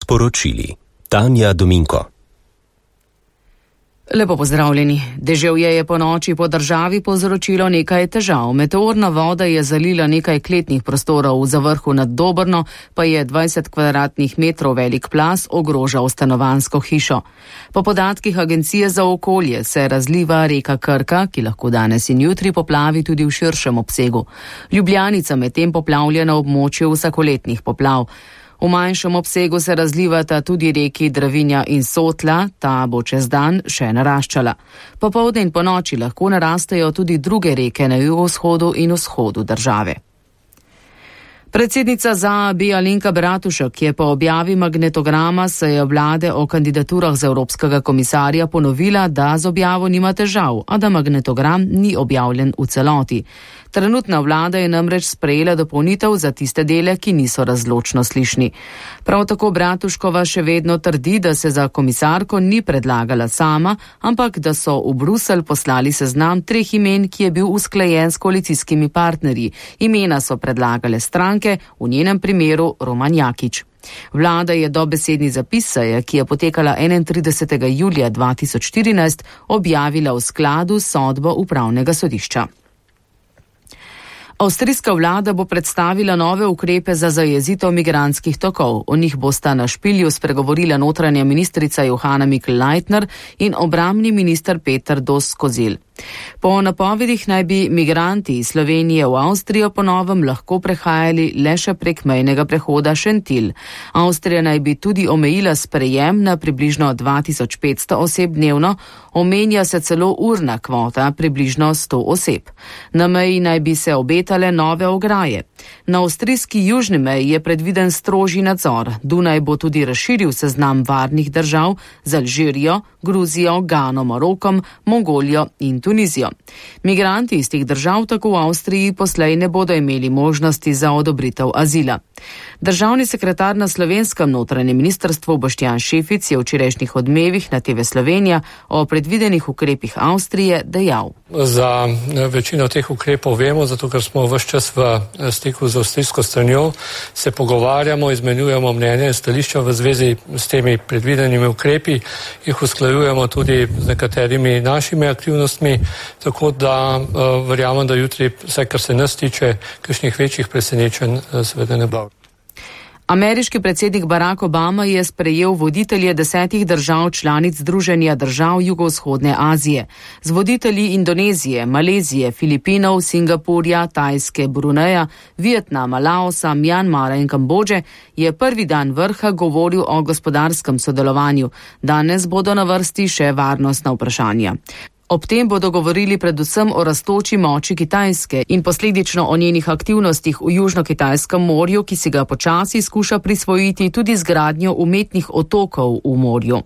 poročili. Tanja Dominko. Lepo pozdravljeni. Deževje je po noči po državi povzročilo nekaj težav. Meteorna voda je zalila nekaj kletnih prostorov, za vrhu nad Dobrno pa je 20 kvadratnih metrov velik plaz ogrožal stanovanjsko hišo. Po podatkih Agencije za okolje se razliva reka Krka, ki lahko danes in jutri poplavi tudi v širšem obsegu. Ljubljanica medtem poplavlja na območju vsakoletnih poplav. V manjšem obsegu se razlivata tudi reki Dravinja in Sotla, ta bo čez dan še naraščala. Popoldne in ponoči lahko narastejo tudi druge reke na jugovzhodu in vzhodu države. Predsednica ZAB Alenka Bratušek je po objavi magnetograma seje vlade o kandidaturah za evropskega komisarja ponovila, da z objavo nima težav, a da magnetogram ni objavljen v celoti. Trenutna vlada je namreč sprejela dopolnitev za tiste dele, ki niso razločno slišni. Prav tako Bratuškova še vedno trdi, da se za komisarko ni predlagala sama, ampak da so v Bruselj poslali seznam 3 imen, ki je bil usklajen s koalicijskimi partnerji. Imena so predlagale stranke, v njenem primeru Roman Jakič. Vlada je dobesedni zapis seje, ki je potekala 31. julija 2014, objavila v skladu s sodbo upravnega sodišča. Avstrijska vlada bo predstavila nove ukrepe za zajezitev migrantskih tokov. O njih bosta na Špilju spregovorila notranja ministrica Johanna Mikl-Leitner in obrambni minister Peter Dos-Kozil. Po napovedih naj bi migranti iz Slovenije v Avstrijo po novem lahko prehajali le še prek mejnega prehoda Šentilj. Avstrija naj bi tudi omejila sprejem na približno 2500 oseb dnevno, omenja se celo urna kvota približno 100 oseb. Na meji naj bi se obetale nove ograje. Na avstrijski južni meji je predviden strožji nadzor. Dunaj bo tudi razširil seznam varnih držav z Alžirijo, Gruzijo, Gano, Marokom, Mongolijo in Tunizijo. Migranti iz teh držav tako v Avstriji poslej ne bodo imeli možnosti za odobritev azila. Državni sekretar na slovenskem notranjem ministrstvu Boštjan Šefic je v včerajšnjih Odmevih na TV Slovenija o predvidenih ukrepih Avstrije dejal. Za večino teh ukrepov vemo, zato ker smo ves čas v stiku z avstrijsko stranjo, se pogovarjamo, izmenjujemo mnenje in stališča v zvezi s temi predvidenimi ukrepi, jih usklajujemo tudi z nekaterimi našimi aktivnostmi, tako da verjamem, da jutri, vsaj kar se nas tiče, kakšnih večjih presenečenj seveda ne bo. Ameriški predsednik Barack Obama je sprejel voditelje 10 držav članic Združenja držav jugovzhodne Azije. Z voditelji Indonezije, Malezije, Filipinov, Singapurja, Tajske, Bruneja, Vietnama, Laosa, Mjanmara in Kambodže je prvi dan vrha govoril o gospodarskem sodelovanju. Danes bodo na vrsti še varnostna vprašanja. Ob tem bodo govorili predvsem o rastoči moči Kitajske in posledično o njenih aktivnostih v Južno-Kitajskem morju, ki si ga počasi skuša prisvojiti tudi z gradnjo umetnih otokov v morju.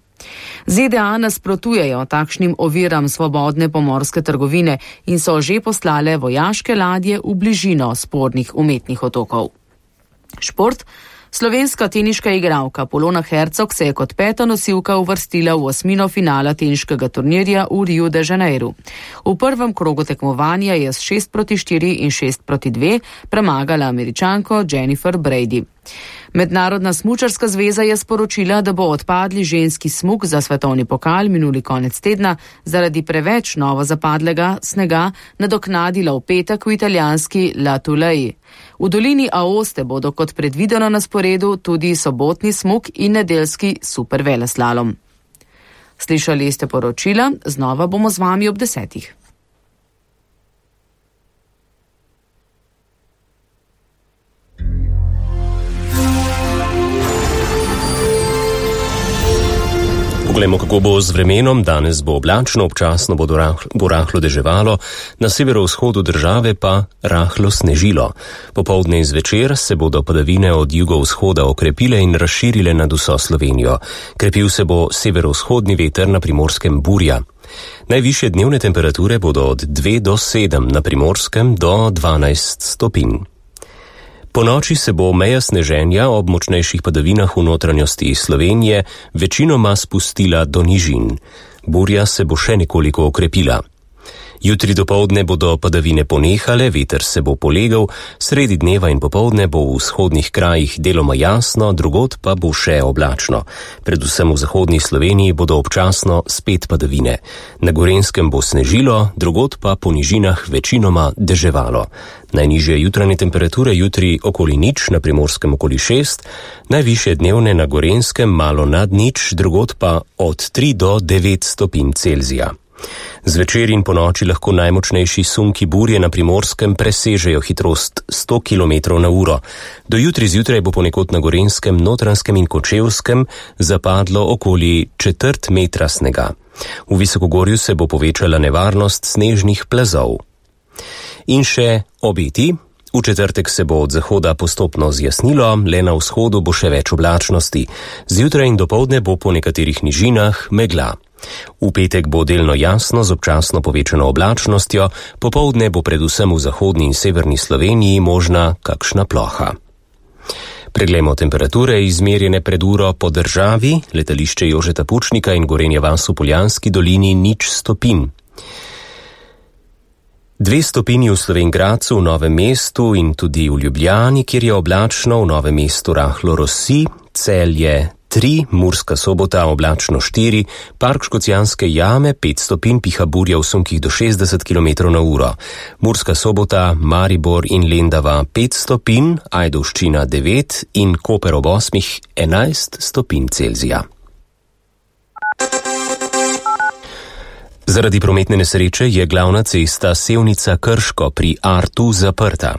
ZDA nasprotujejo takšnim oviram svobodne pomorske trgovine in so že poslale vojaške ladje v bližino spornih umetnih otokov. Šport. Slovenska teniška igralka Polona Hercog se je kot 5. nosilka uvrstila v 8. finala teniškega turnirja v Rio de Janeiro. V prvem krogu tekmovanja je s 6-4 in 6-2 premagala Američanko Jennifer Brady. Mednarodna smučarska zveza je sporočila, da bo odpadli ženski smuk za svetovni pokal minuli konec tedna zaradi preveč novo zapadlega snega nadoknadila v petek v italijanski La Tuleji. V dolini Aoste bodo kot predvideno na sporedu tudi sobotni smuk in nedeljski superveleslalom. Slišali ste poročila, znova bomo z vami ob 10. Poglejmo, kako bo z vremenom. Danes bo oblačno, občasno bo rahlo deževalo, na severovzhodu države pa rahlo snežilo. Popoldne in zvečer se bodo padavine od jugovzhoda okrepile in razširile nad vso Slovenijo. Krepil se bo severovzhodni veter, na Primorskem burja. Najvišje dnevne temperature bodo od 2 do 7, na Primorskem do 12 stopinj. Po noči se bo meja sneženja ob močnejših padavinah v notranjosti Slovenije večinoma spustila do nižin. Burja se bo še nekoliko okrepila. Jutri dopoldne bodo padavine ponehale, veter se bo polegal, sredi dneva in popoldne bo v vzhodnih krajih deloma jasno, drugod pa bo še oblačno. Predvsem v zahodni Sloveniji bodo občasno spet padavine. Na Gorenjskem bo snežilo, drugod pa po nižinah večinoma deževalo. Najnižje jutranje temperature jutri okoli nič, na Primorskem okoli 6, najvišje dnevne na Gorenjskem malo nad nič, drugod pa od 3 do 9 stopinj Celzija. Zvečer in po noči lahko najmočnejši sunki burje na Primorskem presežejo hitrost 100 km/h. Do jutri zjutraj bo ponekod na Gorenjskem, Notranjskem in Kočevskem zapadlo okoli 1/4 metra snega. V Visokogorju se bo povečala nevarnost snežnih plazov. In še obeti. V četrtek se bo od zahoda postopno zjasnilo, le na vzhodu bo še več oblačnosti. Zjutraj in dopoldne bo po nekaterih nižinah megla. V petek bo delno jasno z občasno povečano oblačnostjo, popoldne bo predvsem v zahodni in severni Sloveniji možna kakšna ploha. Preglejmo temperature izmerjene pred uro po državi, letališče Jožeta Pučnika in Gorenja vas v Poljanski dolini 0 stopinj. 2 stopinji v Slovenj Gradcu, v Novem mestu in tudi v Ljubljani, kjer je oblačno, v Novem mestu rahlo rosi, Celje 3, Murska Sobota oblačno 4, Park Škocjanske jame 5 stopinj, piha burja v sunkih do 60 km/h. Murska Sobota, Maribor in Lendava 5 stopinj, Ajdovščina 9 in Koper ob 8 11 stopinj Celzija. Zaradi prometne nesreče je glavna cesta Sevnica-Krško pri Artu zaprta.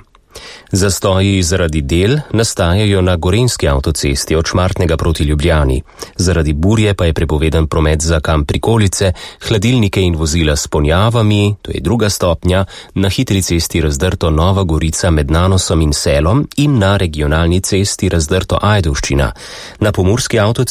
Zastoji zaradi del nastajajo na Gorenjski avtocesti od Šmartnega proti Ljubljani. Zaradi burje pa je prepovedan promet za kamp Prikolice, hladilnike in vozila s ponjavami, to je 2. stopnja, na hitri cesti razdrto Nova Gorica med Nanosom in Selom in na regionalni cesti razdrto Ajdovščina. Na Pomurski avtocesti